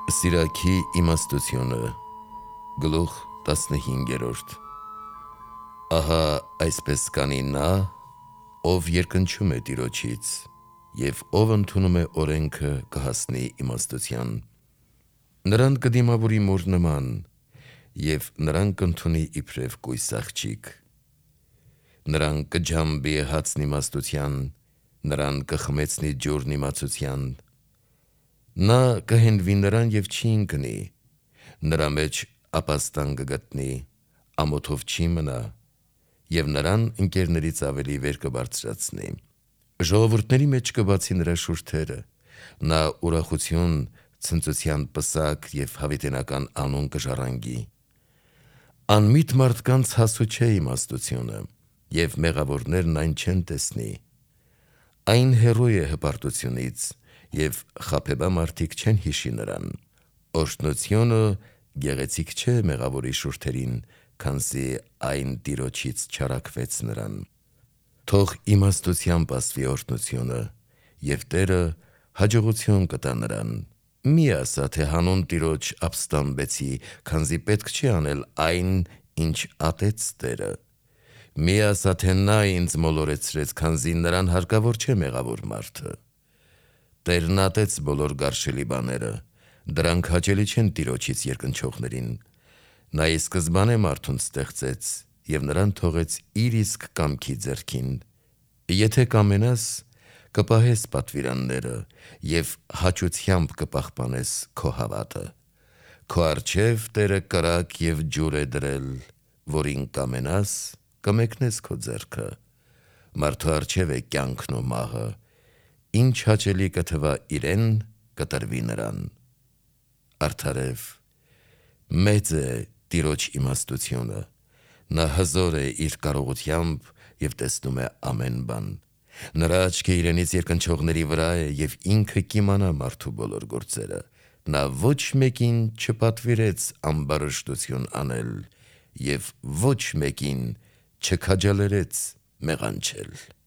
Սիրակի իմաստությունը գլուխ 15 Ահա այսպես կանի նա, ով երկնչում է Տիրոջից, և ով ընդունում է օրենքը կհասնի իմաստության։ Նրան կդիմավորի մոր նման, և նրան կընդունի իբրև կույս աղջիկ։ Նրան կջամբի հացն իմաստության, նրան կխմեցնի ջուրն իմացության։ Նա կհենվի նրան և չի ընկնի, նրա մեջ ապաստան կգտնի, ամոթով չի մնա, և նրան ընկերներից ավելի վեր կբարձրացնի։ Ժողովուրդների մեջ կբացի նրա շուրթերը, նա ուրախություն, ցնծության պսակ և հավիտենական անուն կժառանգի։ Անմիտ մարդկանց հասու չէ իմաստությունը, և մեղավորներն այն չեն տեսնի։ Այն հեռու է հպարտությունից, և խաբեբա մարդիկ չեն հիշի նրան։ Օրհնությունը գեղեցիկ չէ մեղավորի շուրթերին, քանզի այն Տիրոջից չարաքվեց նրան։ Թող իմաստությամբ ասվի օրհնությունը, և Տերը հաջողություն կտա նրան։ Մի ասա, թե հանուն Տիրոջ ապստամբեցի, քանզի պետք չի անել այն, ինչ ատեց Տերը։ Մի ասա, թե նա ինձ մոլորեցրեց, քանզի նրան հարկավոր չէ մեղավոր մարդը։ Տերն ատեց բոլոր գարշելի բաները, դրանք հաճելի չեն Տիրոջից երկնչողներին։ Նա ի սկզբանե մարդուն ստեղծեց, և նրան թողեց իր իսկ կամքի ձեռքին։ Եթե կամենաս, կպահես պատվիրանները, և հաճությամբ կպահպանես քո հավատը։ Քո առջև Տերը կրակ և ջուր է դրել, որին կամենաս, կմեկնես քո ձեռքը։ Մարդու առջև է կյանքն ու մահը, ինչ հաճելի կթվա իրեն, կտրվի նրան։ Արդարև, մեծ է Տիրոջ իմաստությունը, նա հզոր է իր կարողությամբ և տեսնում է ամեն բան։ Նրա աչքը իրենից երկնչողների վրա է, և ինքը կիմանա մարդու բոլոր գործերը։ Նա ոչ մեկին չպատվիրեց ամբարշտություն անել, և ոչ մեկին չքաջալերեց մեղանչել։